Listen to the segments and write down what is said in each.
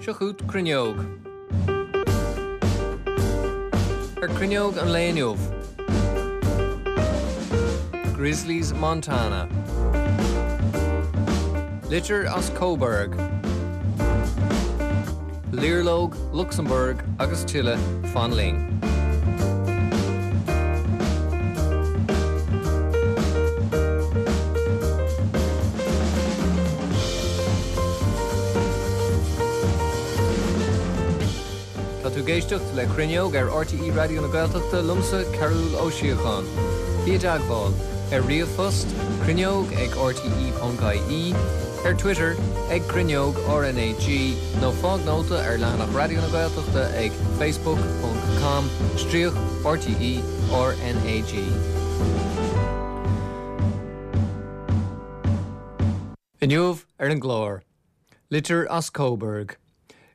Seo chugat Cruinneog. Ar Cruinneog an lae inniu. Grizzlies Montana. Litir as Coburg. Liarlóg Lucsamburg agus tuilleadh, fan linn. Tá tú ag éisteacht le Cruinneog ar RTÉ Raidió na Gaeltachta liomsa Cearbhall Ó Síocháin. Bí i dteagmháil ar ríomhphost, cruinneog ag rte.ie, ar Twitter ag Cruinneog RnaG nó fág nóta ar leathanach Raidió na Gaeltachta ag facebook ponc com stríoc RTÉ RnaG. Inniu ar an gclár, Litir as Coburg,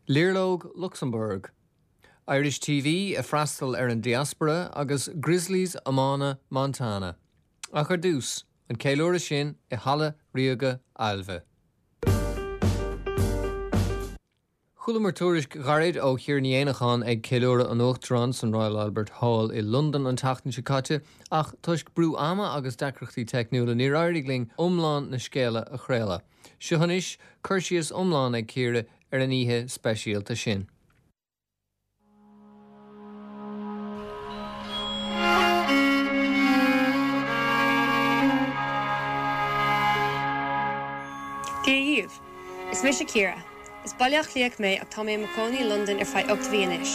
Liarlóg Lucsamburg, Irish TV ag freastal ar an diaspora agus Grizzlies iomána Montana. Ach ar dtús, an ceiliúradh sin i Halla Ríoga Ailbhe. Chualamar tuairisc ghairid ó Chiara Ní Éanacháin ag ceiliúradh an Uachtaráin san Royal Albert Hall i Londain an tseachtain seo caite ach toisc brú ama agus deacrachtaí teicniúla níor éirigh linn iomlán na scéala a chraoladh. Seo anois cur síos iomlán ag Ciara ar an oíche speisialta sin. Dia dhaoibh! Is mise Ciara. Is Baile Átha Cliathach mé ach tá mé i mo chónaí i Londain ar feadh 8 mhí anois.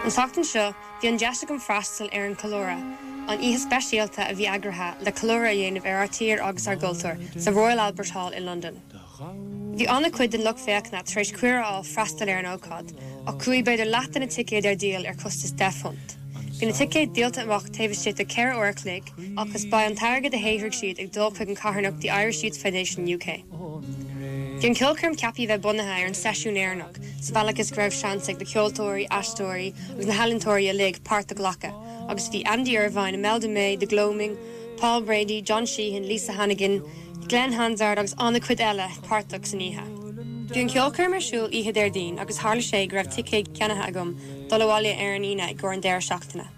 An tseachtain seo, bhí an deis agam freastal ar an Ceiliúradh, an oíche speisialta a bhí eagraithe le ceiliúradh a dhéanamh ar ár tír agus ár gcultúr sa Royal Albert Hall i Londain. Bhí an-chuid den lucht féachana tar éis cuireadh a fháil freastal ar an ócáid, ach chuaigh b'fhéidir leath de na ticéid ar díol ar chostas £10. Bhí na ticéid díolta amach taobh istigh de 4 uair a chloig agus beidh an t-airgead a shaothraigh siad ag dul chuig an carthanacht The Irish Youth Foundation UK. Bhí an ceolchoirm ceaptha a bheith bunaithe ar an seisiún Éireannach sa bhealach is go raibh seans ag na ceoltóirí, aisteoirí agus na healaíontóirí uilig páirt a ghlacadh agus bhí Andy Irvine, Imelda May, The Gloaming, Paul Brady, John Sheahan, Lisa Hannigan, Glen Hansard agus an-chuid eile páirteach san oíche. Bhí an ceolchoirm ar siúl oíche Déardaoin agus tharla sé go raibh ticéid ceannaithe agam dul abhaile ar an Aoine i gcomhair an deireadh seachtaine.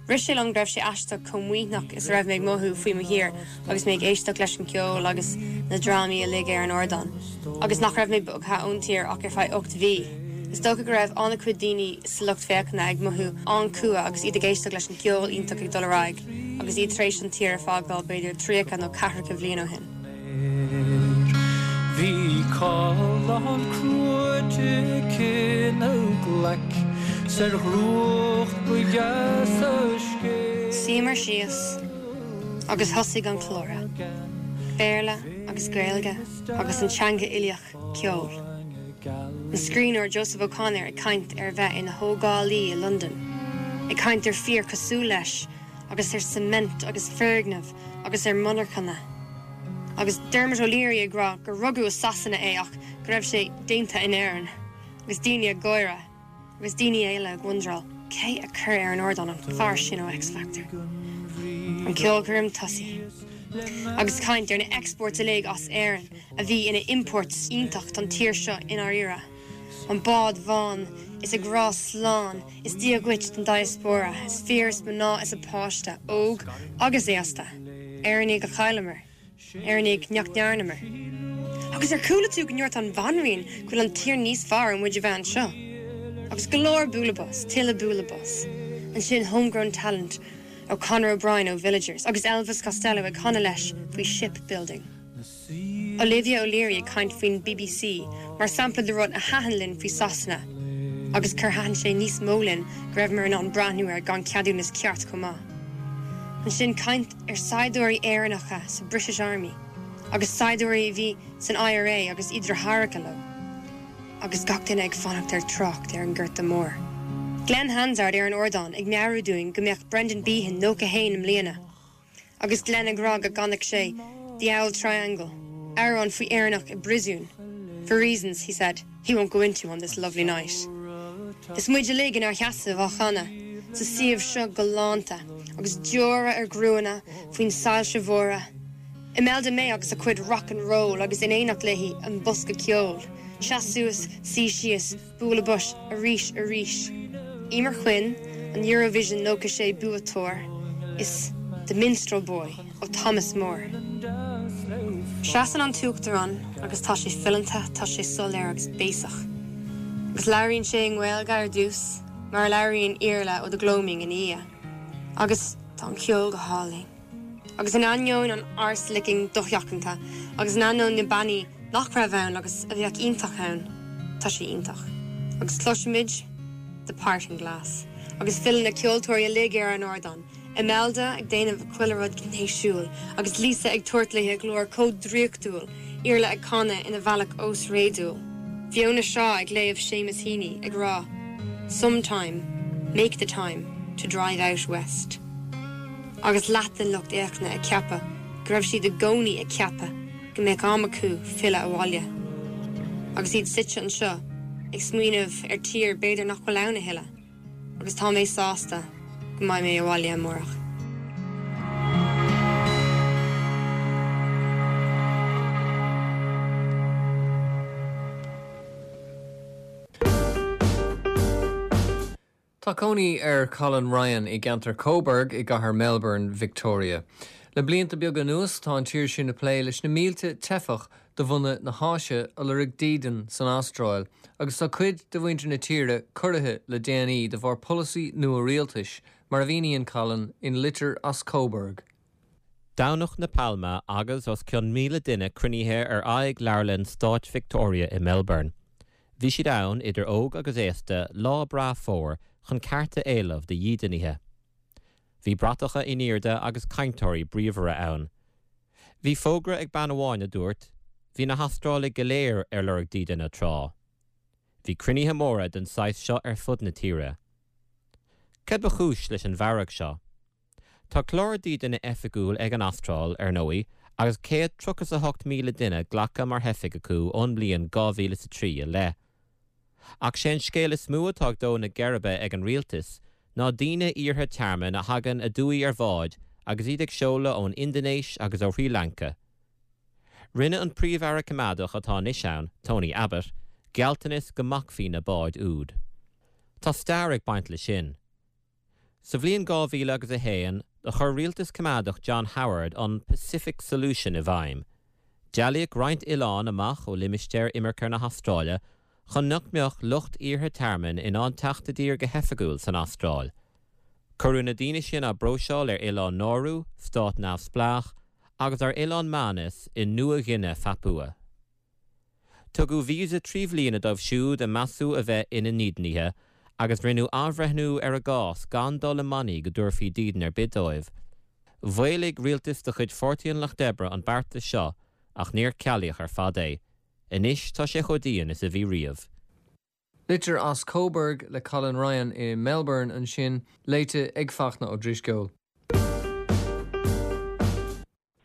Rith sé liom go raibh sé aisteach chomh maoithneach is a raibh mé ag mothú faoi mo thír agus mé ag éisteacht leis an cheol agus na drámaí uilig ar an ardán agus nach raibh mé bogtha ón tír ach ar feadh 8 mhí. Is dócha go raibh an-chuid daoine sa lucht féachana ag mothú an-chumha agus iad ag éisteacht leis an gceol iontach ag dul ar aghaidh agus iad tar éis an tír a fágáil b'fhéidir 30 nó ceathracha bhliain ó shin. Bhí callán cruaite aici 'na glaic 's ar dhrúcht ba dheas a scéal. Shuíomar síos agus thosaigh an ceiliúradh. Béarla agus Gaeilge agus an teanga uilíoch. ceol. An scríbhneoir Joseph O'Connor ag caint ar a bheith ina thógálaí i Londain, ag caint ar fir cosúil leis agus ar cement agus foirgnimh agus ar monarchana. Agus Dermot O'Leary ag rá gur rugadh i Sasana é ach go raibh sé déanta in Éirinn. Agus daoine ag gáire. Agus daoine eile ag wonderáil cé a chuir ar an ardán an fear sin ó X Factor. An ceolchoirm tosaithe. Agus caint ar na exports uilig as Éirinn a bhí ina imports iontach don tír seo i ndáiríre. An bád bhán is ag rá slán is Dia dhuit don diaspora is fir is mná is a páiste, óg agus aosta. Éireannaigh a chailleamar. Éireannaigh nach ndearnamar. Agus ar chuala tú go ndúirt an Bhanríon go bhfuil an tír níos fearr ó muid a bheith anseo? Agus go leor bualadh bos, tuilleadh bualadh bos. Ansin homegrown talent ó Conor O'Brien ó Villagers agus Elvis Costello ag canadh leis faoi ship building. Olivia O'Leary ag caint faoin bbc mar sampla de rud a thaitin linn faoi Sasana agus gur thaitin sé níos mó linn go raibheamar in ann breathnú air gan ceadúnas ceart chomh maith. Ansin caint ar saighdiúirí Éireannacha sa British Army agus saighdiúirí a bhí san IRA agus a deartháireacha leo. Agus gach duine ag fanacht ar trácht ar an Gorta Mór. Glen Hansard ar an ardán ag meabhrú dúinn go mbeadh Brendan Behan 91 i mbliana. Agus Glen ag rá go gcanfadh sé The Auld Triangle, amhrán faoi Éireannach i bpríosún, for reasons, he said, he won't go into on this lovely night. Is muid uilig inár sheasamh á chanadh sa suíomh seo galánta agus deora ar gruanna faoin soilse mhóra. Imelda May agus a cuid rock and roll agus in éineacht léi an bosca ceoil. Seas suas, suí síos, bualadh bos, arís, arís. Emer Quinn, an Eurovision 96 buaiteoir, is The Minstrel Boy ó Thomas Moore. Seasann an tUachtarán agus tá sé fileanta, tá sé soiléir agus béasach. Agus labhraíonn sé i nGaeilge ar dtús, mar a labhraíonn Iarla Ó de Glóimín ina dhiaidh. Agus tá an ceol go hálainn. Agus in ainneoin an arse-licking dosheachanta, agus in ainneoin na bannaí nach raibh ann agus a bheadh iontach ann, tá sé iontach. Agus cloisimid The Parting Glass. Agus filleann na ceoltóirí uilig ar an ardán, Imelda ag déanamh chuile rud gnéasúil, agus Lisa ag tabhairt léi a glór chomh draíochtúil, Iarla ag canadh ina bhealach ósréadúil, Fiona Shaw ag léamh Seamus Heaney ag rá Sometime, make the time to drive out west. Agus leath den lucht féachana ag ceapadh go raibh siad i gcónaí ag ceapadh go mbeadh am acu filleadh abhaile. Agus iad suite anseo ag smaoineamh ar tír b'fhéidir nach bhfuil ann a thuilleadh. Agus tá mé sásta go mbeidh mé abhaile amárach. Tá cónaí ar Colin Ryan i gceantar Coburg i gcathair Melbourne, Victoria. Le blianta beaga anuas tá an tír sin ag plé leis na mílte teifeach de bhunadh na hÁise a lorg dídean san Astráil agus tá cuid de mhuintir na tíre corraithe le déanaí de bharr polasaí nua rialtais, mar a mhíníonn Colin in Litir as Coburg. Domhnach na Pailme agus os cionn 1,000 duine cruinnithe ar aghaidh Leabharlann Stáit Victoria i Melbourne. Bhí siad ann, idir óg agus aosta, lá breá fómhair, chun cearta a éileamh do dhídeanaithe. Bhí bratacha in airde agus cainteoirí bríomhara ann. Bhí fógra ag bean amháin a dúirt, Bhí na hAstrálaigh go léir ar lorg dídine tráth. Bhí cruinnithe móra den saghas seo ar fud na tíre. Cad ba chúis leis an bhfearg seo? Tá clár dídine oifigiúil ag an Astráil, ar ndóigh, agus 138,000 duine glactha mar theifigh acu ón mbliain 2003 i leith. Ach sé an scéal is mó atá ag dó na geirbe ag an rialtas ná daoine iarrtha tearmainn a thagann aduaidh ar bháid agus iad ag seoladh ón Indinéis agus ó Shrí Lanca. Rinne an Príomh-Aire Coimeádach atá anois ann, Tony Abbott, gealltanas go mbacfaí na báid úd. Tá stair ag baint leis sin. Sa bhliain 2000 agus 1, do chuir rialtas coimeádach John Howard an Pacific Solution i bhfeidhm. Dealaíodh roinnt oileán amach ó limistéar imirce na hAstráile chun nach mbeadh lucht iarrtha tearmainn in ann teacht i dtír go hoifigiúil san Astráil. Cuireadh na daoine sin á bpróiseáil ar Oileán Nárú, stát neamhspleách, agus ar Oileán Manus i Nua-Ghuine Phapua. Tugadh víosa 3 bhliana dóibh siúd a measadh a bheith ina ndídeanaithe agus rinneadh athbhreithniú ar a gcás gan dul i mbannaí go dtabharfaí dídean ar bith dóibh. Mhaolaigh rialtas de chuid Pháirtí an Lucht Oibre an beartas seo ach níor cealaíodh ar fad é. Anois tá sé chomh dian is a bhí riamh. Litir as Coburg le Colin Ryan i Melbourne ansin, léite ag Fachtna Ó Drisceoil.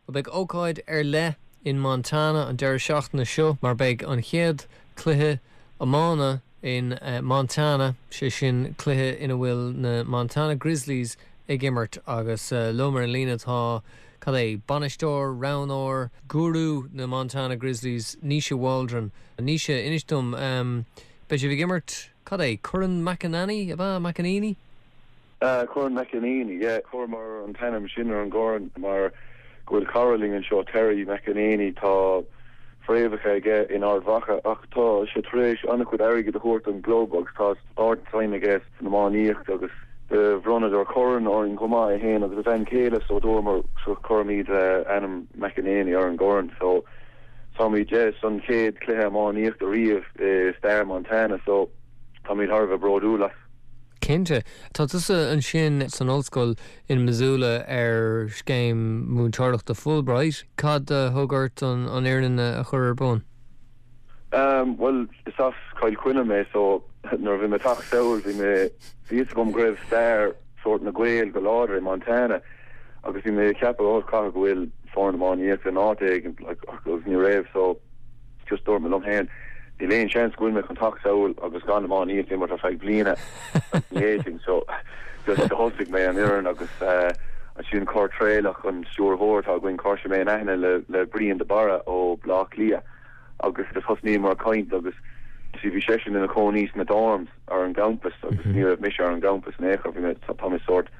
Beidh ócáid ar leith in Montana an deireadh seachtaine seo mar beidh an chéad cluiche iomána in Montana, sé sin cluiche ina bhfuil na Montana Grizzlies ag imirt agus liom ar an líne tá, cad é, bainisteoir, roghnóir, gúrú na Montana Grizzlies, Naoise Waldron. Naoise, inis dom, beidh sibh ag imirt, cad é, Corn McEnany, ab ea? McEneaney? Corn McEneaney, yeah. Chuireamar an t-ainm sin ar an gcorn mar go bhfuil cara linn anseo, Terry McEneaney, tá fréamhacha aige in Ard Mhacha ach tá sé tar éis an-chuid airgid a thabhairt don gclub agus tá ard-suim aige san iománaíocht agus do bhronnadar corn orainn chomh maith, é féin agus a bhean chéile so dúramar so cuirfimid ainm McEneaney ar an gcorn so táimid, yeah, san chéad chluiche iománaíochta riamh i stair Montana so táimid thar a bheith bródúil as. Cinnte. Tá tusa ansin san ollscoil in Missoula ar scéim múinteoireachta Fulbright. Cad a thug ort an fhoireann a chur ar bun? Bhuel, is as Cill Chainnigh mé so nuair a bhí mé ag teacht sall bhí mé, bhí fhios agam go raibh stair sórt na Gaeil go láidir i Montana agus bhí mé ag ceapadh oh caithfidh go bhfuil foireann iománaíochta in áit éigin like agus ní raibh so Just dúirt mé liom féin, níl aon seans go bhfuil mé chun teacht sall agus gan iománaíocht a imirt ar feadh bliana, ní fhéadfainn. So just thosaigh mé an fhoireann agus. Ansin chuir Traolach, an stiúrthóir atá againn, chuir sé mé in aithne le le Brian de Barra ó Bleá Cliath agus just thosnaíomar ag caint agus see bhí seisean ina chónaí sna dorms ar an gcampas agus ní raibh mise ar an gcampas in aon chor, bhí mé, tá mé sórt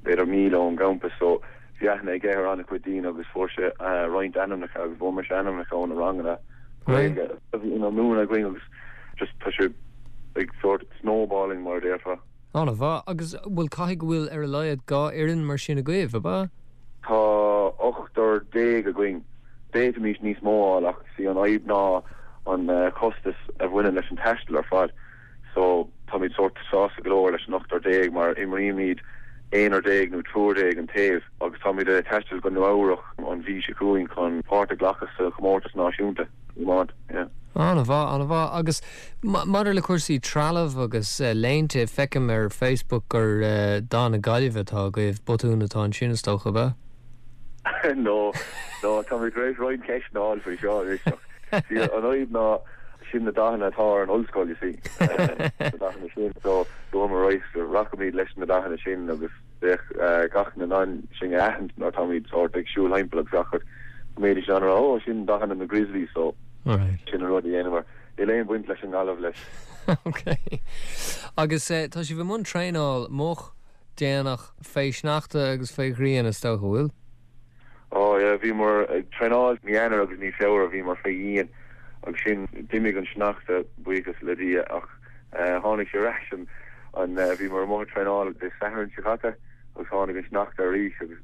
b'fhéidir míle ón gcampas so bhí aithne aige ar an-chuid daoine agus fuair sé roinnt ainmneacha agus fuair mise ainmneacha ó na ranganna Gaeilge a bhí á múineadh againn agus just tá sé ag sórt snowballing mar a déarfá. An-mhaith. Agus bhuel caithfidh go bhfuil ar a laghad 2 fhoireann mar sin agaibh, ab ea? Tá ochtar déag againn. D'fhéadfaimis níos mó a fháil ach sí an fhadhb ná an costas a bhaineann leis an taisteal ar fad. So táimid sórt sásta go leor leis an ochtar déag mar imrímid aonar déag nó triúr déag an taobh agus táimid ag taisteal go Nua Eabhrach an mhí seo chugainn chun páirt a ghlacadh sa chomórtas náisiúnta. iomáint, yeah. An-mhaith, an-mhaith. Agus maidir le cúrsaí trealaimh agus léinte, feicim ar Facebook gur dath na Gaillimhe atá agaibh, botún atá ansin is dócha, ab ea? No, no, tá mé tar éis roinnt ceisteanna a fháil faoi seo anois ach see an fhadhb ná sin na dathanna atá ar an ollscoil, you see, na dathanna sin so dúramar right, rachaimid leis na dathanna sin agus bheadh gach éinne in ann sinn a aithint nuair atáimid sórt ag siúl thimpeall agus gach rud. Go mbeidís in ann a rá, 'Ó, sin dathanna na Grizzlies' so sin an rud a dhéanamar. Níl aon bhaint leis an nGaillimh leis. Ok. Agus tá sibh i mbun traenáil moch, déanach, fé shneachta agus fé ghrian is dócha, bhfuil? Ó yeah, bhíomar ag traenáil mí Eanáir agus mí Feabhra, bhíomar fé dhíon agus ansin d'imigh an sneachta, buíochas le Dia, ach tháinig sé ar ais an, an, bhíomar amuigh ag traenáil Dé Sathairn seo caite agus tháinig an sneachta arís agus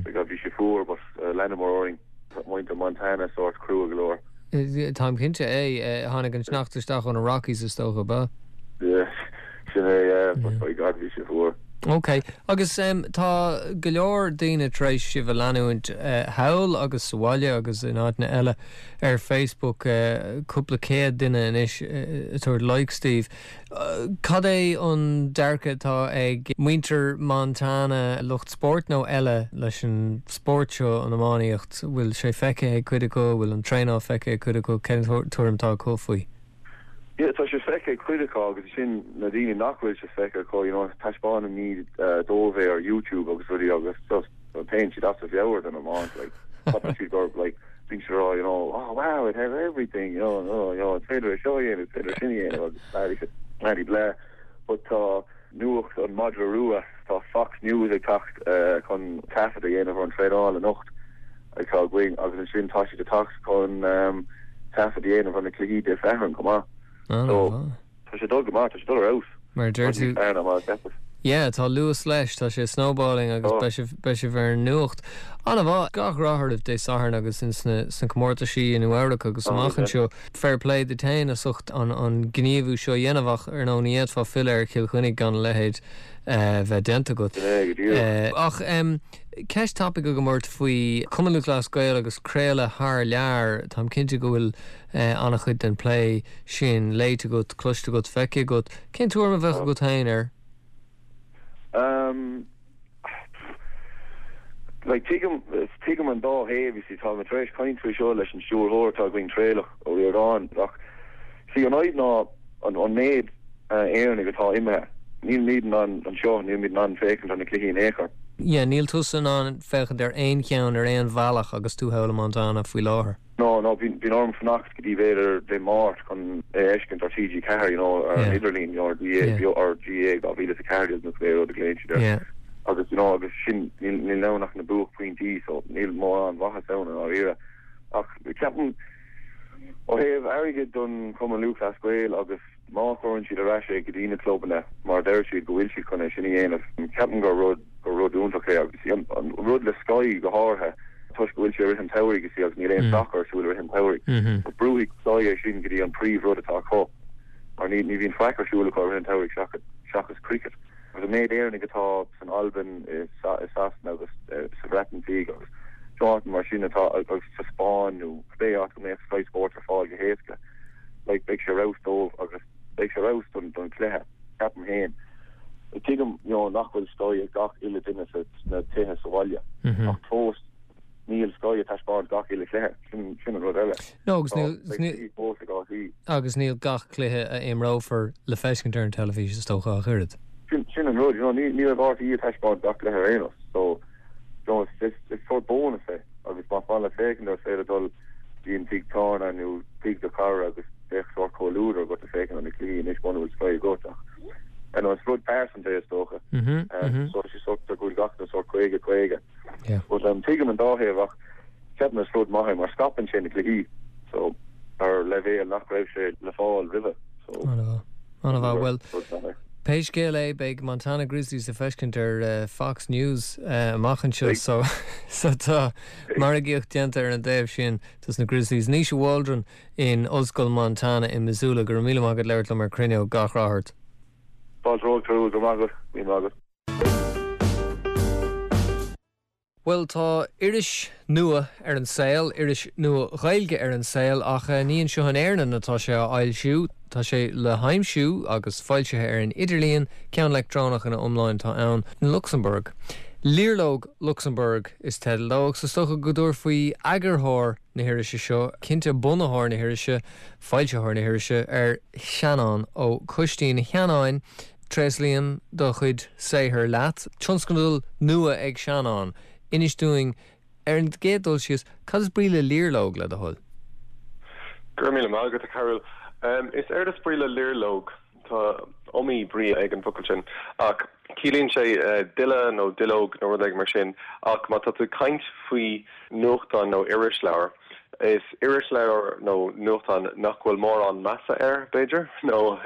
my God bhí sé fuar but leanamar orainn, muintir Montana sórt crua go leor. Táim cinnte é, tháinig an sneachta isteach ó na Rockies is dócha, ab ea? Yeah, sin é, yeah, but by God bhí sé fuar. Ok, agus tá go leor daoine tar éis sibh a leanúint thall agus sa bhaile agus in áiteanna eile ar Facebook, cúpla céad duine anois ag tabhairt likes daoibh. Cad é an dearcadh atá ag muintir Montana, lucht spóirt nó eile, leis an spórt seo, an iománaíocht? Bhfuil sé feicthe ag cuid acu? Bhfuil an traenáil feicthe ag cuid acu? Cén tuairim atá acu faoi? Yeah, tá sé feicthe ag cuid acu agus ansin na daoine nach bhfuil sé feicthe acu, you know, taispeánaimid dóibh é ar YouTube agus rudaí agus just téann siad as a mheabhair don iomáint, like, ceapann siad gur, like, bíonn siad ag rá, you know, oh wow, it has everything, you know, oh, you know, is féidir é seo a dhéanamh, is féidir sin a dhéanamh agus blah, blah, blah. But tá nuacht an Madra Rua, tá Fox News ag teacht chun taifead a dhéanamh ar an traenáil anocht atá againn agus ansin tá siad ag teacht chun taifead a dhéanamh ar na cluichí Dé Sathairn chomh maith. So, Tá sé ag dul go maith, tá sé ag dul ar fheabhas. Mar a deir tú. Fearr ná mar a cheapas. Yeah, tá luas leis, tá sé snowballing agus beidh sibh, beidh sibh ar an nuacht. An-mhaith. Gach rath oraibh Dé Sathairn agus ins na, sna comórtaisí i Nua Eabhrac agus amach anseo. Fair play duit féin as ucht an, an gníomhú seo a dhéanamh ach ar ndóigh ní fhéadfá filleadh ar Chill Chainnigh gan a leithéid bheith déanta agat. Sin é go díreach. Ach em, ceist tapaidh agam ort faoi Cumann Lúthchleas Gael agus craoladh thar lear. Táim cinnte go bhfuil an-chuid den plé sin léite agat, cloiste agat, feicthe agat. Cén tuairim a bheadh agat féin air? Um, like, tuigim, tuigim an dá thaobh, you see, tá mé tar éis caint faoi seo leis an stiúrthóir atá againn, Traolach Ó Ríordáin, ach see, an fhadhb ná an, an méid Éireannaigh atá imithe. Nílimid in ann anseo, nílimid in ann féachaint ar na cluichí in aon chor. Yeah, níl tusa in ann féachaint ar aon cheann ar aon bhealach agus tú thall i Montana faoi láthair. No, no, bíonn orm fanacht go dtí b'fhéidir Dé Máirt chun é a fheiscint ar TG4, you know, ar an idirlíon, you know, ar GAA, ar GAA 2014 nó cibé rud a ghlaonn siad air. Agus, you know, agus sin, níl, níl ann ach na buaicphointí, so níl mórán mhaitheas ann i ndáiríre. Ach ceapaim, ó thaobh airgid don Chumann Lúthchleas Gael agus má chuireann siad ar ais é go dtí na clubanna, mar a deir siad go bhfuil siad chun é sin a dhéanamh, ceapaim gur rud, gur rud iontach é agus an rud le Sky go háirithe, toisc go bhfuil sé i rith an tsamhraidh, you see, agus níl aon sacar ar siúl i rith an tsamhraidh, but brúfaidh Sky é sin go dtí an príomh-rud atá acu, mar ní, ní bhíonn faic ar siúl acu i rith an tsamhraidh seachas, seachas cricket. Agus an méid Éireannaigh atá san Albain, i Sasana agus sa Bhreatain Bheag agus áiteanna mar sin atá, agus sa Spáinn nó cibé áit go mbeadh Sky Sports ar fáil go héasca. like beidh sé ar fheabhas dóibh agus beidh sé ar fheabhas don don chluiche, ceapaim féin. Tuigim you know nach bhfuil Sky ag gach uile duine sa sna tithe sa bhaile ach fós níl Sky ag taispeáint gach uile chluiche, sin sin an rud eile. No agus níl Beidh níl fós ag RTÉ. agus níl gach cluiche a imreofar le feiscint ar an teilifís is dócha ach oiread. Sin sin an rud, you know ní ní raibh RTÉ ag taispeáint gach cluiche ar aon nós so. You know, is is sórt bónas é agus más maith leat féachaint air is féidir dul dtí an tigh tábhairne nó tigh do chara agus bheadh sórt comhluadar agat ag féachaint ar na cluichí anois muna bhfuil Sky agat ach you know, is rud pearsanta é is dócha. So is sórt go bhfuil gach duine sórt 50 50. But um, tuigim an dá thaobh ach ceapaim is rud maith é mar scaipeann sé na cluichí so ar leibhéal nach raibh sé le fáil roimhe. So An-mhaith. Bhuel, pé scéal é, beidh Montana Grizzlies le feiscint ar Fox News amach anseo so so tá margaíocht déanta ar an dtaobh sin dos na Grizzlies. Naoise Waldron in Ollscoil Montana i Missoula, go raibh míle maith agat labhairt liom ar Cruinneog. Gach rath ort. Fáilte romhat, go raibh maith agat. Míle maith agat. Bhuel, tá iris nua ar an saol, iris nua Ghaeilge ar an saol, ach ní anseo in Éirinn atá sé á fhoilsiú. Tá sé le haimsiú agus foilsithe ar an idirlíon, ceann leictreonach ina iomláine atá ann, in Lucsamburg. Liarlóg Lucsamburg is teideal dó, agus is dócha go dtabharfaí eagarthóir na hirise seo, cinnte bunaitheoir na hirise, foilsitheoir na hirise, ar Sheanán Ó Coistín. A Sheanáin, Tréaslaím do chuid saothair leat. Tionscadal nua ag Seanán. Inis dúinn, ar an gcéad dul síos, cad is brí le liarlóg, le do thoil? Go raibh míle maith agat, a Chearúil. Is éard is brí le liarlóg, tá iomaí brí ag an bhfocal sin, ach ciallaíonn sé duille nó duilleog nó rud éigin mar sin, ach má tá tú ag caint faoi nuachtán nó irisleabhar, Is irisleabhar nó nuachtán nach bhfuil mórán measa air, b'fhéidir, nó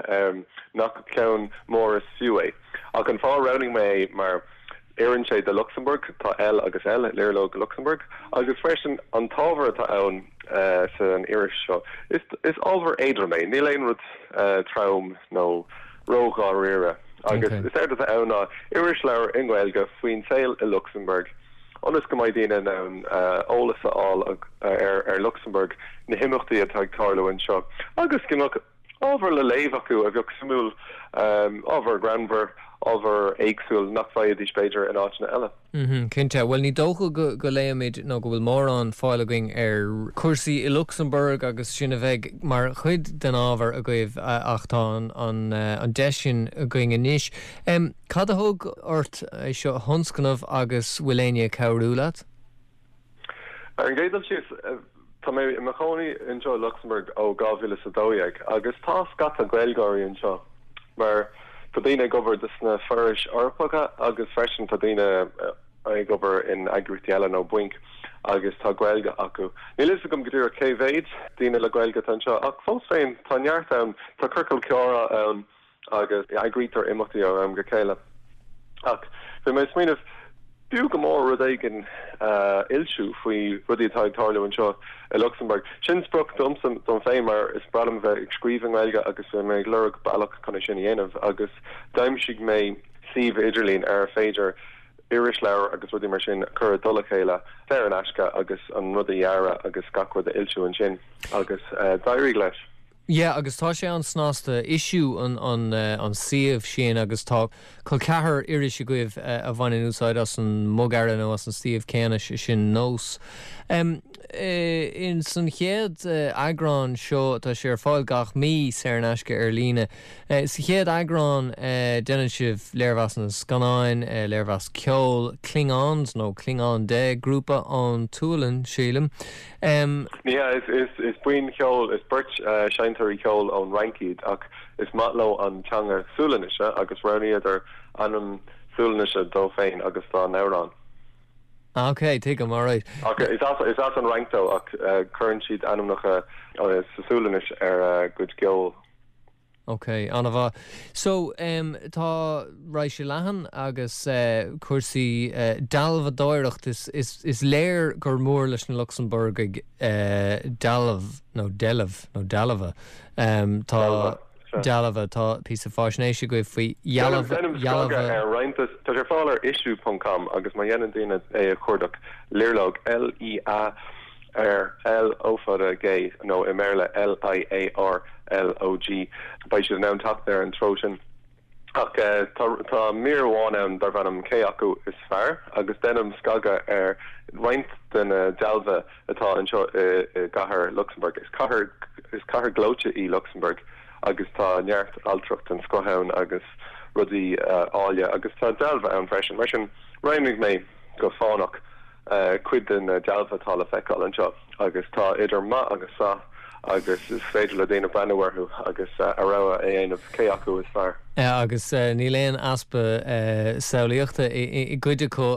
nach ceann mór is fiú é. Ach an fáth a roghnaigh mé é mar oireann sé do Lucsamburg, tá L agus L i Liarlóg Lucsamburg, agus freisin an t-ábhar atá ann san iris seo, is ábhar éadrom é, níl aon rud trom nó ró-dháiríre. Agus is éard atá ann ná irisleabhar i nGaeilge faoin saol i Lucsamburg. ionas go mbeidh daoine in ann eolas a fháil ar Lucsamburg, na himeachtaí atá ag tarlú anseo agus go mbeadh ábhar le léamh acu a bheadh suimiúil, ábhar greannmhar, ábhar éagsúil nach bhfaighidís b'fhéidir in áiteanna eile. Cinnte. Bhuel, ní dócha go léimid nó go bhfuil mórán fáil againn ar chúrsaí i Lucsamburg agus sin a bheidh mar chuid den ábhar agaibh ach tá an deis sin againn anois. Cad a thug ort é seo a thionscnamh agus bhfuil éinne ag cabhrú leat? Ar an gcéad dul síos, tá mé i mo chónaí anseo i Lucsamburg ó 2012 agus tá scata Gaeilgeoirí anseo mar tá daoine ag obair dos na forais Eorpacha agus freisin tá daoine ag obair in eagraíochtaí eile nó bainc agus tá Gaeilge acu. Níl fhios agam go díreach cé mhéad daoine le Gaeilge atá anseo ach fós féin tá neart ann, tá ciorcal comhrá ann agus eagraítear imeachtaí ó am go chéile. Ach bhí mé ag smaoineamh, b'fhiú go mór rud éigin a fhoilsiú faoi rudaí atá ag tarlú anseo i Lucsamburg. Sin sprioc domsa dom féin mar is breá liom bheith ag scríobh i nGaeilge agus bhí mé ag lorg bealach chun é sin a dhéanamh agus d'aimsigh mé suíomh idirlín ar féidir irisleabhair agus rudaí mar sin a chur i dtoll a chéile saor in aisce agus an rud a dhearadh agus gach rud a fhoilsiú ansin agus d'éirigh leis. Yeah agus tá sé an-snasta, Issuu an an an suíomh sin agus tá col ceathar iris agaibh a bhaineann úsáid as an mbogearra nó as an suíomh céanna, sé sin Nós. Em in san chéad eagrán seo, tá sé ar fáil gach mí saor in aisce ar líne. Sa chéad eagrán déanann sibh léirmheasanna scannáin, léirmheas ceoil, Klingons nó Klingon De, grúpa ón tSualainn sílim. Ní hea, is buíon cheoil, is beirt seinnteoirí ceoil ón Fhrainc iad ach is maith leo an teanga Sualainnise agus roghnaíodar ainm Sualainnise dóibh féin agus dá n-amhrán. Ok, tuigim, alright. Ach is as an Fhrainc dóibh ach cuireann siad ainmneacha sa Sualainnis ar a gcuid ceoil. Ok, an-mhaith. So, em, tá raidhse leathan agus eh, cúrsaí eh, dealbhadóireacht, is, is, is léir gur mór leis na Lucsamburgaigh eh, dealbh nó deilbh nó dealbha. Em, tá Dealbha, sea. dealbha, tá píosa faisnéise agaibh faoi dhealbh, Déanaim dhealbha. scagadh ar roinnt, tá sé ar fáil ar issuu ponc com agus má dhéanann daoine é a chuardach, Liarlóg, L-I-A, R L O fada G nó i mBéarla L-I-A-R L O G. Beidh siad in ann teacht ar an treo sin. Ach tá mír amháin ann darb ainm 'Cé acu is fearr? agus déanaim scagadh ar roinnt de na dealbha atá anseo i gcathair Lucsamburg. Is cathair is cathair ghleoite í Lucsamburg agus tá neart ailtireacht den scoth ann agus rudaí áille agus tá dealbha ann freisin. Mar sin, roghnaigh mé go fánach. cuid de na dealbha atá le feiceáil anseo agus tá idir maith agus saith agus is féidir le daoine breathnú orthu agus a rogha a dhéanamh cé acu is fearr. Agus níl aon easpa samhlaíochta i gcuid acu.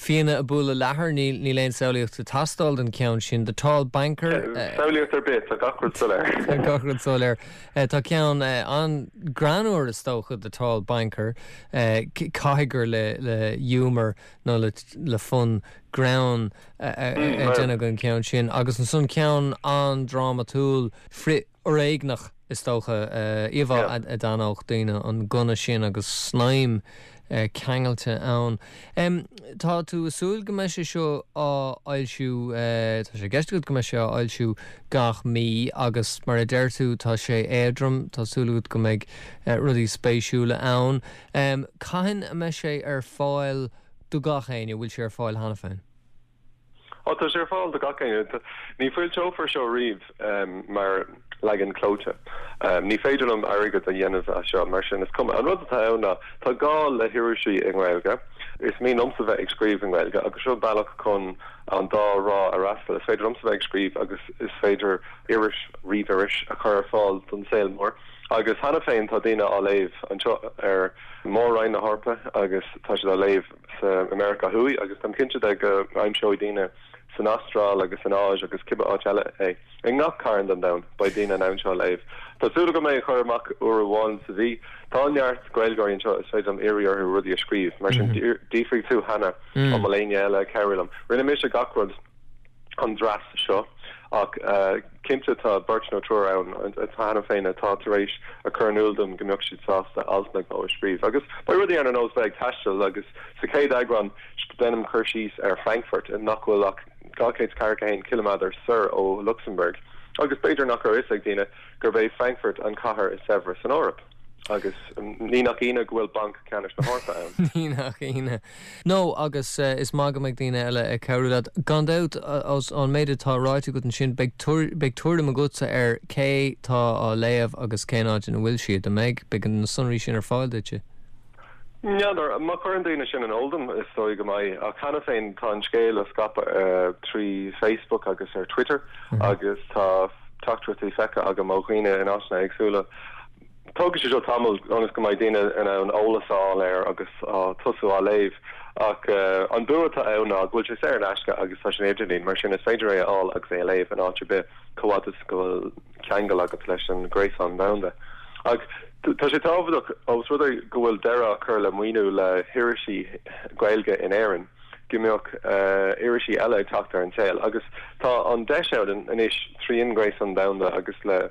Fianna ag bualadh leathair, níl aon samhlaíocht ag teastáil don cheann sin. The Tall Banker. Samhlaíocht ar bith, tá gach rud soiléir. Tá gach rud soiléir. Tá ceann an-ghreannmhar is dócha, The Tall Banker. Caithfidh gur le humour nó le fonn greann a déanadh an ceann sin. Agus ansan ceann an-drámatúil, frith-fhoréigneach is dócha, íomhá a d'aithneodh daoine, an gunna sin agus snaidhm ceangailte ann. Tá tú ag súil go mbeidh sé seo á fhoilsiú, tá sé i gceist agat go mbeidh sé á fhoilsiú gach mí agus mar a deir tú tá sé éadrom, tá súil agat go mbeidh rudaí spéisiúla ann. Cathain a mbeidh sé ar fáil do gach éinne? Bhfuil sé ar fáil cheana féin? Ó, tá sé ar fáil do gach éinne. Ní foilseofar seo riamh mar leagan clóite. Ní féidir liom airgead a dhéanamh as seo, mar sin is cuma. An rud atá ann ná, tá gá le hirisí i nGaeilge. Is mian liomsa bheith ag scríobh i nGaeilge agus seo bealach chun an dá thrá a fhreastal. Is féidir liomsa bheith ag scríobh agus is féidir iris, ríomhiris, a chur ar fáil don saol mór. Agus cheana féin tá daoine á léamh anseo ar Mhór-Roinn na hEorpa agus tá siad á léamh sa i Meiriceá Thuaidh agus táim cinnte de go aimseoidh daoine san Astráil agus san Áis agus cibé áit eile é. I ngach carn den domhan beidh daoine in ann seo a léamh. Tá súil agam é a chur amach uair amháin sa mhí. Tá neart Gaeilgeoirí anseo is féidir liom iarraidh orthu rudaí a scríobh. Mar sin d'fhiafraigh tú cheana an bhfuil éinne eile ag cabhrú liom. Rinne mise gach rud. an dreas seo ach cinnte tá beirt nó triúr ann cheana féin atá tar éis a chur in iúl dom go mbeadh siad sásta alt nó dhó a scríobh. Agus beidh rudaí ann ar nós bheith ag taisteal agus sa chéad eagrán déanaim cur síos ar Frankfurt nach bhfuil ach 241 ciliméadar soir ó Lucsamburg agus b'fhéidir nach raibh fhios ag daoine gurb é Frankfurt an chathair is saibhre san Eoraip. Agus ní nach ionadh go bhfuil Banc Ceannais na hEorpa ann. Ní nach ionadh. No, agus is maith go mbeidh daoine eile ag cabhrú leat. Gan dabht, ón méid atá ráite agat ansin, beidh beidh tuairim agatsa ar cé tá á léamh agus cén áit ina bhfuil siad, an mbeidh? Beidh na sonraí sin ar fáil duitse. N'fheadar. Má chuireann daoine sin in iúl dom, is dóigh go mbeidh. Ach cheana féin tá an scéal á scaipeadh trí Facebook agus ar Twitter agus tá teachtaireachtaí feicthe agam ó dhaoine in áiteanna éagsúla. Tógfaidh sé seo tamall ionas go mbeidh daoine in ann eolas a fháil air agus tosú á léamh. Ach an bua atá ann ná go bhfuil sé saor in aisce agus tá sé ar an idirlíon, mar sin is féidir é a fháil agus é a léamh in áit ar bith chomh fhad is go bhfuil ceangal agat leis an ghréasán domhanda. Ach tá sé tábhachtach, ós rud é go bhfuil deireadh á chur le maoiniú le hirisí Gaeilge in Éirinn, go mbeadh irisí eile ag teacht ar an saol. Agus tá an deis ann anois tríd an ghréasán domhanda agus le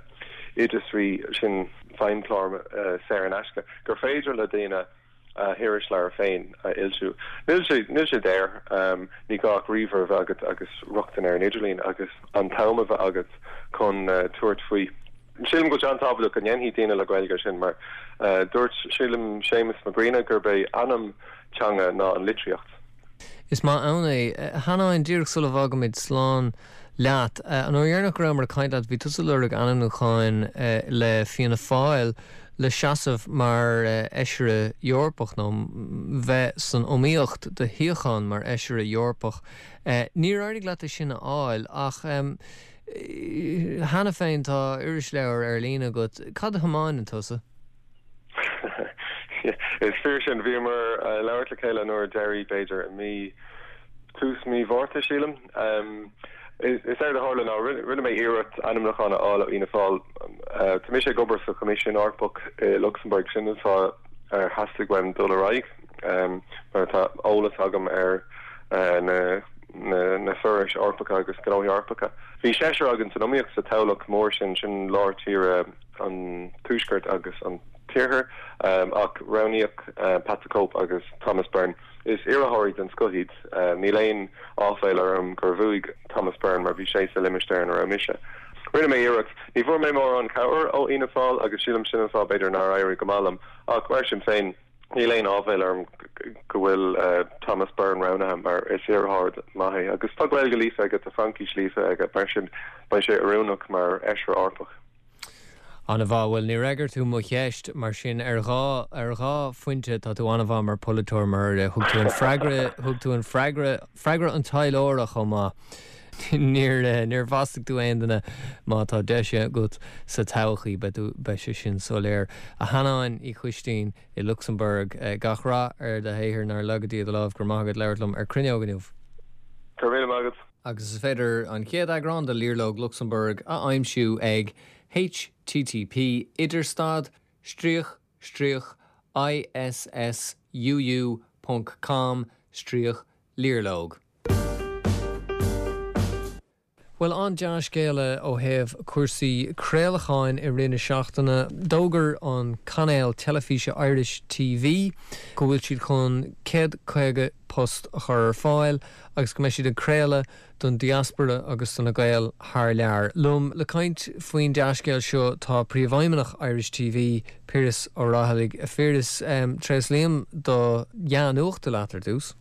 oideasraí, sin feidhmchlár saor in aisce, gur féidir le daoine a hirisleabhar féin a fhoilsiú. Níl sé, níl sé daor, ní gá ach ríomhaire a bheith agat agus rochtain ar an idirlíon agus an t-am a bheith agat chun tabhairt faoi. Sílim go bhfuil sé an-tábhachtach go ndéanfaidh daoine le Gaeilge é sin mar dúirt, sílim, Séamus Mac Grianna gurb é anam teanga ná an litríocht. Is maith ann é. A Sheanáin, díreach sula bhfágaimid slán leat, an uair dheireanach go rabhamar ag caint leat, bhí tusa ag lorg ainmniúcháin le Fianna Fáil le seasamh mar Fheisire Eorpach, nó bheith san iomaíocht do shuíochán mar Fheisire Eorpach. Níor éirigh leat é sin a fháil, ach cheana féin tá irisleabhar ar líne agat. Cad a thiomáineann tusa? Is fíor sin. Bhíomar ag labhairt le chéile an uair deiridh, b'fhéidir, i mí, tús mí Mhárta, sílim. Is éard a tharla ná rinne mé iarracht ainmniúchán a fháil ó Fhianna Fáil. Tá mise ag obair sa Choimisiún Eorpach i Lucsamburg, sin an fáth ar theastaigh uaim dul ar aghaidh, mar tá eolas agam ar na na forais Eorpacha agus gnóthaí Eorpacha. Bhí seisear againn san iomaíocht sa toghlach mór sin, sin lár tíre. an Tuaiscirt agus an tIarthar, ach roghnaíodh Pat the Cope agus Thomas Byrne. Is iarrthóirí den scoth iad. Níl aon áiféala orm gur bhuaigh Thomas Byrne mar bhí sé sa limistéar ina raibh mise. Rinne mé iarracht. Ní bhfuair mé mórán cabhair ó Fhianna Fáil agus sílim sin an fáth b'fhéidir nár éirigh go maith liom ach mar sin féin, Níl aon áibhéil orm go bhfuil Thomas Byrne roghnaithe mar is iarrthóir maith é agus tá Gaeilge líofa aige, tá Fraincis líofa aige, mar sin beidh sé oiriúnach mar Fheisire Eorpach. An-mhaith. Bhuel, níor fhreagair tú mo cheist, mar sin ar dhá, ar dhá phointe tá tú an-mhaith mar pholaiteoir mar thug tú an freagra, thug tú an freagra, freagra an taidhleora chomh maith. Níor, níor mhaslaigh tú aon duine. Má tá deis agat sa todhchaí, beidh tú, beidh sé sin soiléir. A Sheanáin Uí Choistín i Lucsamburg, gach rath ar do shaothar, nár laga Dia do lámh, go raibh maith agat labhairt liom ar Cruinneog inniu. Go raibh míle maith agat. Agus is féidir an chéad eagrán de Liarlóg Lucsamburg a aimsiú ag http idirstad stríoc stríoc issuu ponc com stríoc liarlóg. Bhuel, an-dea-scéala ó thaobh cúrsaí craolacháin i rith na seachtaine. D'fhógair an cainéal teilifíse Irish TV go bhfuil siad chun 150 post a chur ar fáil agus go mbeidh siad ag craoladh don diaspora agus do na Gaeil thar lear. Liom le caint faoin dea-scéal seo tá Príomhfheidhmeannach Irish TV, Piaras Ó Raghallaigh. A Phiarais, tréaslaím do dhea-nuacht leat ar dtús.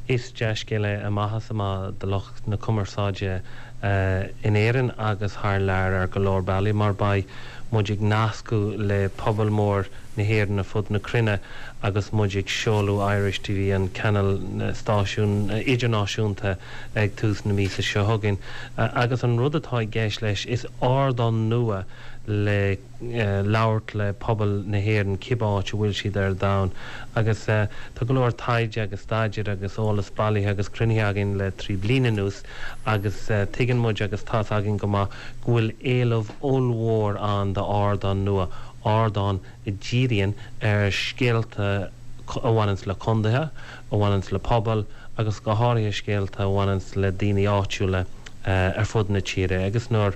Is dea-scéal é amach is amach do lucht na cumarsáide in Éirinn agus thar lear ar go leor bealaí mar beidh muid ag nascadh le pobal mór na hÉireann ar fud na cruinne agus muid ag seoladh Irish TV, an cainéal stáisiún idirnáisiúnta ag tús na míosa seo chugainn. Agus an rud atá i gceist leis, is ardán nua le labhairt le pobal na hÉireann cibé áit a bhfuil siad ar domhan agus tá go leor taighde agus staidéir agus eolas bailithe agus cruinnithe againn le 3 bliana anuas agus tuigeann muid agus tá's againn go maith go bhfuil éileamh ollmhór ann d'ardán nua, ardán a dhíríonn ar scéalta a bhaineanns le condaetha, a bhaineanns le pobail agus go háirithe scéalta a bhaineanns le daoine áitiúla ar fud na tíre agus nuair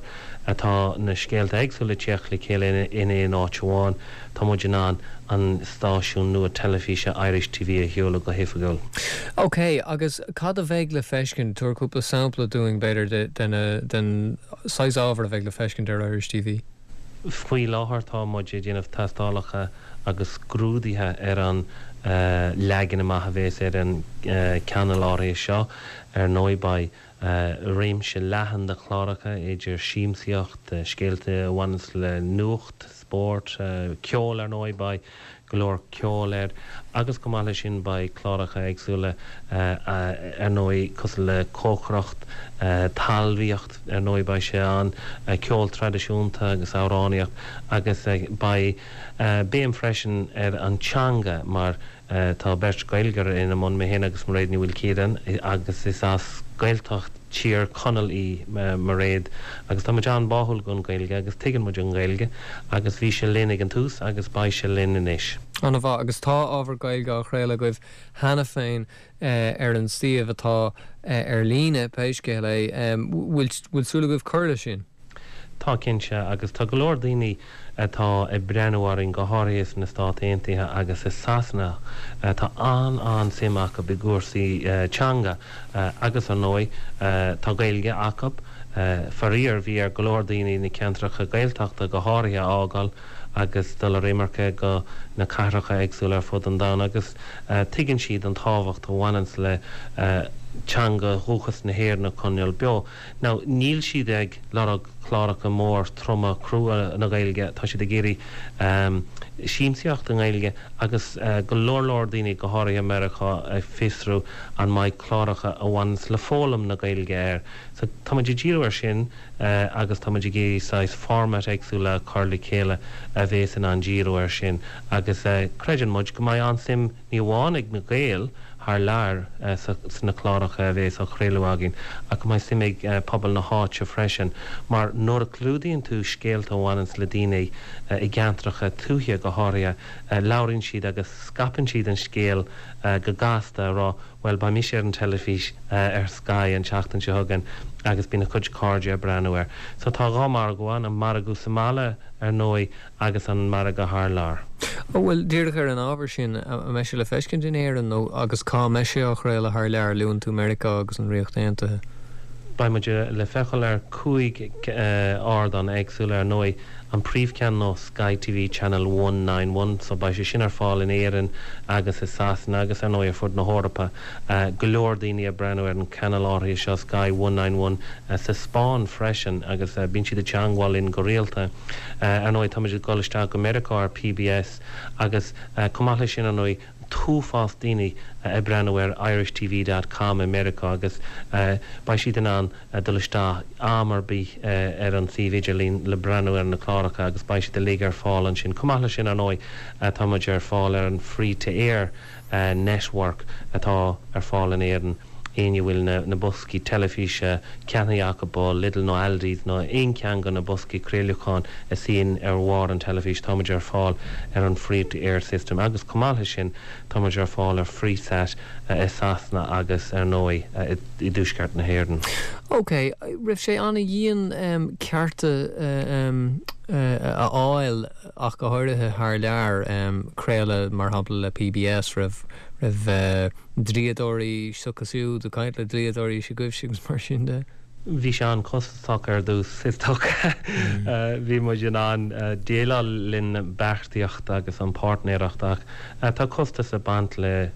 atá na scéalta éagsúla ag teacht le chéile in aon áit amháin, tá muid in ann an stáisiún nua teilifíse Irish TV a sheoladh go hoifigiúil. Ok, agus cad a bheidh le feiscint? Tabhair cúpla sampla dúinn, b'fhéidir, den saghas ábhair a bheidh le feiscint ar Irish TV. Faoi láthair tá muid ag déanamh tástálacha agus scrúduithe ar an leagan amach a bhéas ar an gcainéal áirithe seo. Ar ndóigh beidh réimse leathan de chláracha idir siamsaíocht, scéalta a bhaineanns le nuacht, spórt, ceol ar ndóigh, beidh go leor ceoil air agus chomh maith leis sin beidh cláracha éagsúla ar ndóigh cosúil le cócaireacht, talmhaíocht ar ndóigh beidh sé ann, ceol traidisiúnta agus amhránaíocht agus beidh béim freisin ar an teanga mar tá beirt Ghaeilgeoir ina mbun, mé féin agus Mairéad Ní Mhaoilchiaráin agus is as Gaeltacht Thír Chonaill í Mairéad agus tá muid an-bháúil don Ghaeilge agus tuigeann muid an Ghaeilge agus bhí sé linn ag an tús agus beidh sé linn anois. An-mhaith. Agus tá ábhar Gaeilge á chraoladh agaibh cheana féin ar an suíomh atá ar líne, pé scéal é. Bhfuil súil agaibh cur leis sin? Tá, cinnte, agus tá go leor daoine atá ag breathnú orainn, go háirithe sna Stáit Aontaithe agus i Sasana, tá an-an-suim acu i gcúrsaí teanga agus, ar ndóigh, tá Gaeilge acu. Faraor, bhí ar go leor daoine na ceantracha Gaeltachta go háirithe a fhágáil agus dul ar imirce go na cathracha éagsúla ar fud an domhain agus tuigeann siad an tábhacht a bhaineanns le teanga dhúchas na hÉireann a choinneáil beo. Now, níl siad ag lorg cláracha mór troma crua na Gaeilge, tá siad ag iarraidh siamsaíocht i nGaeilge agus go leor leor daoine, go háirithe i Meiriceá, ag fiosrú an mbeidh cláracha a bhaineanns le foghlaim na Gaeilge air. So, tá muid ag díriú ar sin agus tá muid ag iarraidh saghas format éagsúla a chur le chéile a bhéas in ann díriú ar sin agus creideann muid go mbeidh an-suim ní amháin ag na Gaeil thar lear sna cláracha a bhéas á chraoladh againn ach go mbeidh suim ag pobal na háite freisin mar nuair a chlúdaíonn tú scéalta a bhaineanns le daoine i gceantracha tuaithe go háirithe labhraíonn siad agus scaipeann siad an scéal go gasta a rá bhuel beidh mise ar an teilifís ar Sky an tseachtain seo chugainn agus bíonn a cuid cairde ag breathnú air. So tá dhá mhargadh ann, an margadh sa mbaile ar ndóigh agus an margadh thar lear. Bhuel, díreach ar an ábhar sin, an mbeidh sé le feiscint in Éirinn nó agus cá mbeidh sé á chraoladh thar lear? Luann tú Meiriceá agus an Ríocht Aontaithe. Beidh muid le feiceáil ar 5 ardán éagsúla ar ndóigh. An príomhcheann ná Sky TV Channel 191 so beidh sé sin ar fáil in Éirinn agus i Sasana agus ar ndóigh ar fud na hEorpa. Go leor daoine ag breathnú ar an channel áirithe seo Sky 191 sa Spáinn freisin agus bíonn siad ag teangmháil linn go rialta. Ar ndóigh táimid ag dul isteach go Meiriceá ar PBS agus chomh maith leis sin ar ndóigh an t-uafás daoine ag breathnú ar irishtv dot com i Meiriceá agus beidh siad in ann dul isteach am ar bith ar an suíomh idirlín le breathnú ar na cláracha agus beidh siad uilig ar fáil ansin. Chomh maith leis sin ar ndóigh tá muid ar fáil ar an Free to Air Network atá ar fáil in Éirinn. Éinne a bhfuil na boscaí teilifíse ceannaithe acu ó Lidl nó Aldi's nó aon cheann de na boscaí craolacháin a suíonn ar bharr an teilifís, tá muid ar fáil ar an Free to Air system agus chomh maith leis sin tá muid ar fáil ar Freesat i Sasana agus ar ndóigh i dTuaisceart na hÉireann. Ok, raibh sé an-dhian cearta a fháil ach go háirithe thar lear, craoladh mar shampla le PBS, raibh raibh dlíodóirí s'acu siúd, ag caint le dlíodóirí s'agaibhse agus mar sin de. Bhí sé an-chostasach ar dtús, is dócha. Bhí muid in ann déileáil linn beartaíocht agus an páirtnéireacht ach tá costas ag baint le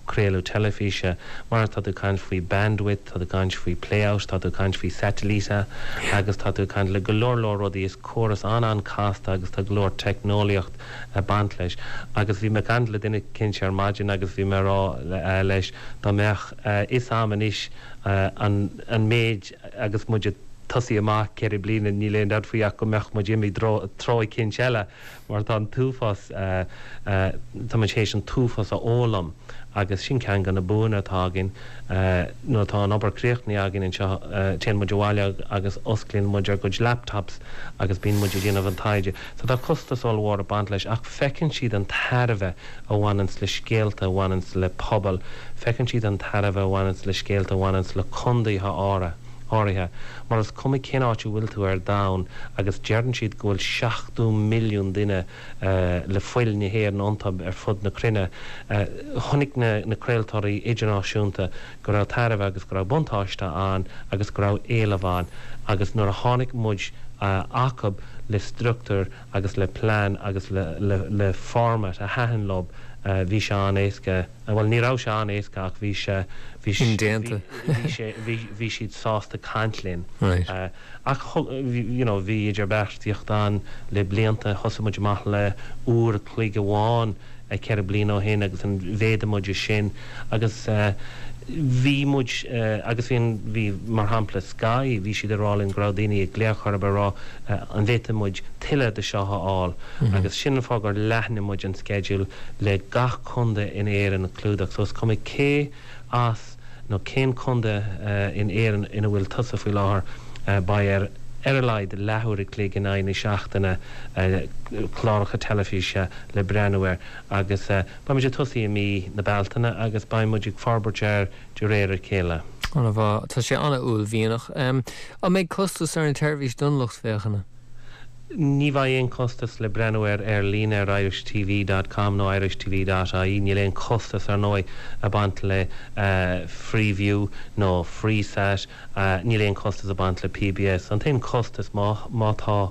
craoladh teilifíse mar tá tú ag caint faoi bandwidth, tá tú ag caint faoi playout, tá tú ag caint faoi satailíte agus tá tú ag caint le go leor leor rudaí. Is córas an-an-casta agus tá go leor teicneolaíocht ag baint leis. Agus bhí mé ag caint le duine eicínt ar maidin agus bhí mé ag rá leis dá mbeadh fhios a'm anois an méid agus muid ag tosaí amach 4 bliana níl aon dabht faoi ach go mbeadh muid imithe treo eicínt eile mar tá an t-uafás, tá muid théis an t-uafás a fhoghlaim agus sin ceann de na buanna atá againn. Nuair atá an obair críochnaithe againn anseo, téann muid abhaile agus osclaíonn muid ár gcuid laptops agus bíonn muid ag déanamh an taighde. So tá costas ollmhór ag baint leis ach feiceann siad an tairbhe a bhaineanns le scéalta a bhaineanns le pobal, feiceann siad an tairbhe a bhaineanns le scéalta a bhaineanns le condaetha áirithe, mar is cuma cén áit a bhfuil tú ar domhan agus deireann siad go bhfuil 70 milliún duine le fuil na hÉireann iontu ar fud na cruinne. Chonaic na craoltóirí idirnáisiúnta go raibh tairbhe agus go raibh buntáiste ann agus go raibh éileamh ann agus nuair a tháinig muid acub le struchtúr agus le plean agus le format a thaitin leo bhí sé an-éasca, bhuel ní raibh sé an-éasca ach bhí sé, bhí Indéanta. bhí sé, bhí, bhí siad sásta caint linn. Right. Ach you know bhí idirbheartaíocht ann le blianta, thosaigh muid amach le uair a chloig amháin 4 bliana ó shin agus an mhéadaigh muid sin agus bhí muid agus bhí an, bhí mar shampla Sky, bhí siad ag rá linn go raibh daoine ag glaoch orthu ag rá an bhféadfadh muid tuilleadh de seo a fháil agus sin an fáth gur leathnaigh muid an sceideal le gach contae in Éirinn a chlúdach so is cuma cé as nó cén contae in Éirinn ina bhfuil tusa faoi láthair, beidh ar ar a laghad leathuair a chloig in aghaidh na seachtaine cláracha teilifíse le breathnú air agus beidh muid ag tosaí i mí na Bealtaine agus beidh muid ag forbairt air de réir a chéile. An-mhaith. Tá sé an-uaillmhianach. An mbeidh costas ar an tseirbhís don lucht féachana? Ní bheidh aon chostas le breathnú air ar líne ar irishtv dot com nó irishtv dot ie. Níl aon chostas, ar ndóigh, ag baint le Freeview nó Freesat. Níl aon chostas ag baint le PBS. An t-aon chostas, má má tá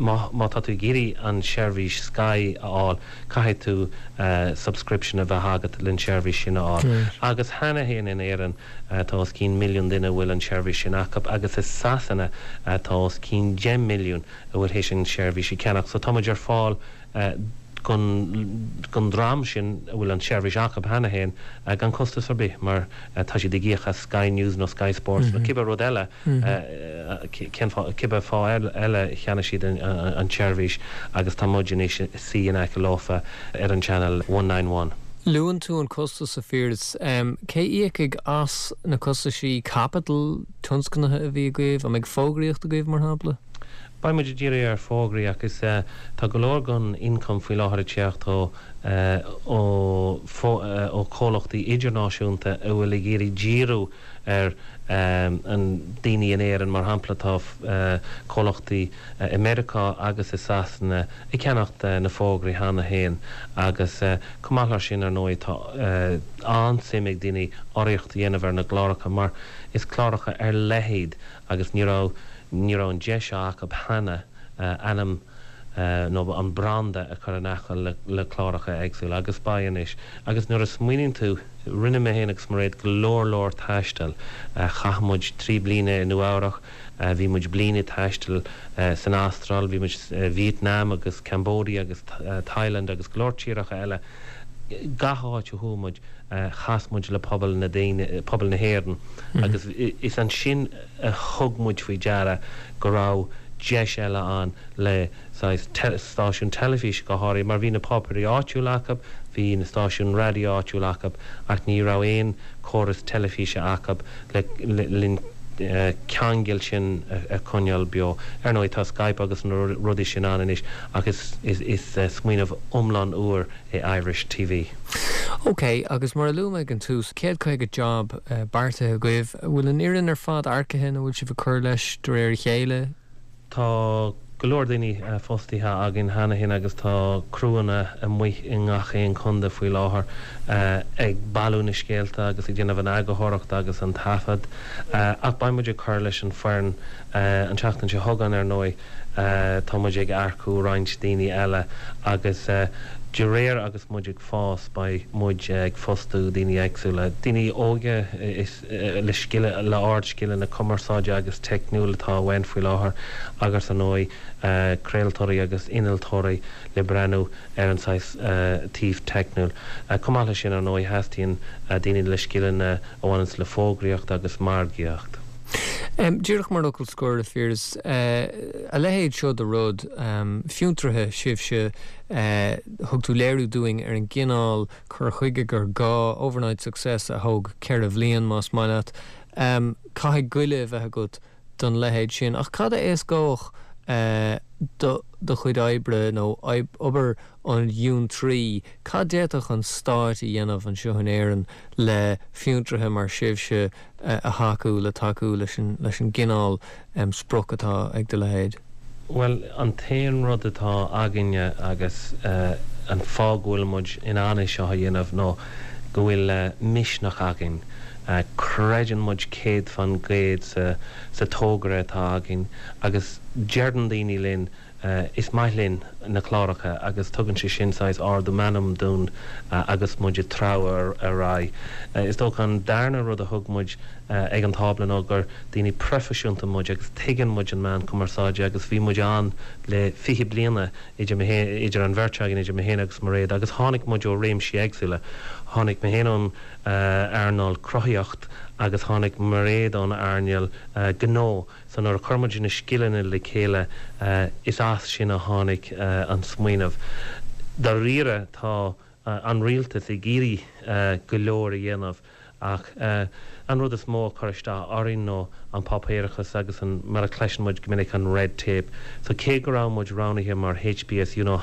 má má tá tú ag iarraidh an seirbhís Sky a fháil, caithfidh tú subscription a bheith agat len seirbhís sin a fháil. Agus cheana féin in Éirinn, Tá os cionn milliún duine a bhfuil an tseirbhís sin acu agus i Sasana tá os cionn 10 milliún a bhfuil théis an tseirbhís a cheannach. So tá muid ar fáil don dream sin a bhfuil an tseirbhís acu cheana féin gan costas ar bith mar tá siad ag íoc as Sky News nó Sky Sports nó cibé rud eile, cén fáth, cibé fáth eile a cheannaigh siad an tseirbhís agus tá muid anois ag suí in aice leofa ar an channel 191. Luann tú an costas, a Phiarais. Cé íocfaidh as na costaisí caipitil tionscnaithe a bhí agaibh? An mbeidh fógraíocht agaibh, mar shampla? Beidh muid ag díriú ar fógraí ach is tá go leor den ioncam faoi láthair ag teacht ó ó ó chomhlachtaí idirnáisiúnta a bhfuil ag iarraidh díriú ar an daoine in Éirinn. Mar shampla tá comhlachtaí i Meiriceá agus i Sasana ag ceannacht na fógraí cheana féin agus chomh maith leis sin ar ndóigh tá an-suim ag daoine urraíocht a dhéanamh ar na gcláracha mar is cláracha ar leith iad agus ní raibh ní raibh an deis seo acu cheana ainm nó an branda a chur in aice le cláracha éagsúla agus beidh anois. Agus nuair a smaoiníonn tú, rinne mé féin agus Mairéad go leor leor taistil. Chaith muid 3 bliana i Nua Eabhrach, bhí muid bliain ag taisteal san Astráil, bhí muid Vietnam agus Cambodia agus Thailand agus go leor tíortha eile. Gach áit a chuaigh muid, chas muid le pobal na daoine, pobal na hÉireann agus is ansin a thug muid faoi deara go raibh deis eile ann le saghas stáisiún teilifíse go háirithe mar bhí na páipéirí áitiúla acu, bhí na stáisiúin raidió áitiúla acu ach ní raibh aon chóras teilifíse acu le linn ceangal sin a choinneáil beo. Ar ndóigh tá Skype agus na rudaí sin ann anois ach is smaoineamh iomlán úr é Irish TV. OK, agus mar a luaigh mé ag an tús, 150 job beartaithe agaibh. An bhfuil an fhoireann ar fad earcaithe nó bhfuil sibh ag cur leis de réir a chéile? Tá go leor daoine fostaithe againn cheana féin agus tá criúnna amuigh i ngach aon chontae faoi láthair ag bailiú na scéalta agus ag déanamh an eagarthóireachta agus an taifead. Ach beidh muid ag cur leis an foireann an tseachtain seo chugainn ar ndóigh. Tá muid ag earcú roinnt daoine eile agus de réir agus muid ag fás beidh muid ag fostú daoine éagsúla, daoine óga le scileanna, le ardscileanna cumarsáide agus teicniúil atá uainn faoi láthair agus ar ndóigh craoltóirí agus innealtóirí le breathnú ar an saghas taobh teicniúil. Chomh maith leis sin ar ndóigh theastaíonn daoine le scileanna a bhaineanns le fógraíocht agus margaíocht. Díreach mar fhocal scoir, a Phiarais, a leithéid seo de rud, fiontraithe sibhse, thug tú léiriú dúinn ar an gcineál cur chuige gur gá, overnight success a thóg 4 bhliain más maith leat. Caithfidh goile a bheith agat don leithéid sin. Ach cad a éascódh do do chuid oibre nó obair an fhiontraí? Cad d'fhéadfadh an stáit a dhéanamh anseo in Éirinn le fiontraithe mar sibhse a thacú, le tacú leis an leis an gcineál sprioc atá ag do leithéid? Bhuel, an t-aon rud atá againne agus an fáth go bhfuil muid in ann é seo a dhéanamh ná go bhfuil misneach againn. Creideann muid 100% sa sa togra atá againn agus deireann daoine linn is maith linn na cláracha agus tugann sé sin saghas ardú meanman dúinn agus muid ag treabhadh ar aghaidh. Is dócha an darna rud a thug muid ag an tábla ná gur daoine proifisiúnta muid agus tuigeann muid an meán cumarsáide agus bhí muid ann le 20 bliana idir mé féin, idir an bheirt againn, idir mé féin agus Mairéad agus tháinig muid ó réimsí éagsúla. Tháinig mé féin ón earnáil cruthaitheacht agus tháinig Mairéad ón earnáil gnó. So nuair a chuir muid na scileanna le chéile, is as sin a tháinig an smaoineamh. Dáiríre tá an rialtas ag iarraidh go leor a dhéanamh ach an rud is mó a chuir isteach orainn nó an páipéarachas agus an, mar a chloiseann muid go minic, an red tape. So cé go raibh muid roghnaithe mar HPSU nó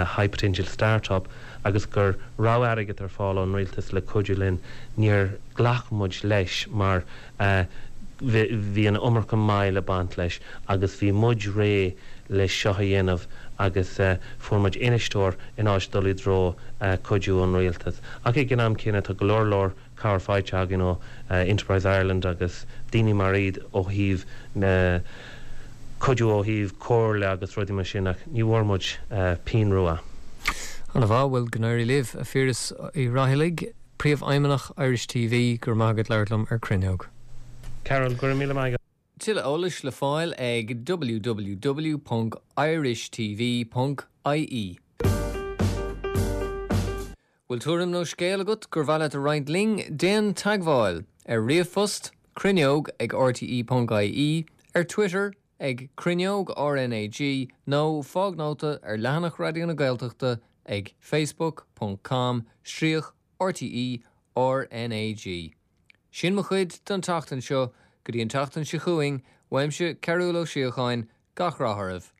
High Potential Start-up agus go raibh airgead ar fáil ón rialtas le cuidiú linn, níor ghlac muid leis mar Bhí an iomarca moill ag baint leis agus bhí muid réidh le seo a dhéanamh agus fuair muid infheisteoir in áit dul i dtreo cuidiú ón rialtas. Ach ag an am céanna tá go leor leor cabhair faighte againn ó Enterprise Ireland agus daoine mar iad ó thaobh cuidiú ó thaobh comhairle agus rudaí mar sin ach ní bhfuair muid pingin rua. Ana-mhaith, bhuel go n-éirí libh, a Phiarais Uí Raghallaigh. Príomhfheidhmeannach Irish TV, go raibh maith agat labhairt liom ar Cruinneog. Carol, go raibh míle maith agat. Tuilleadh eolais le fáil ag www.irishtv.ie. Bhfuil tuairim nó scéal agat gur mhaith leat a roinnt linn? Déan teagmháil! Ar ríomhphost, cruinneog ag rte.ie, ar Twitter ag Cruinneog RnaG nó fág nóta ar leathanach Raidió na Gaeltachta ag facebook ponc com stríoc RTÉ RnaG. Sin mo chuid don tseachtain seo, go dtí an tseachtain seo chugainn, uaimse Cearúll Ó Síocháin, Gach rath oraibh.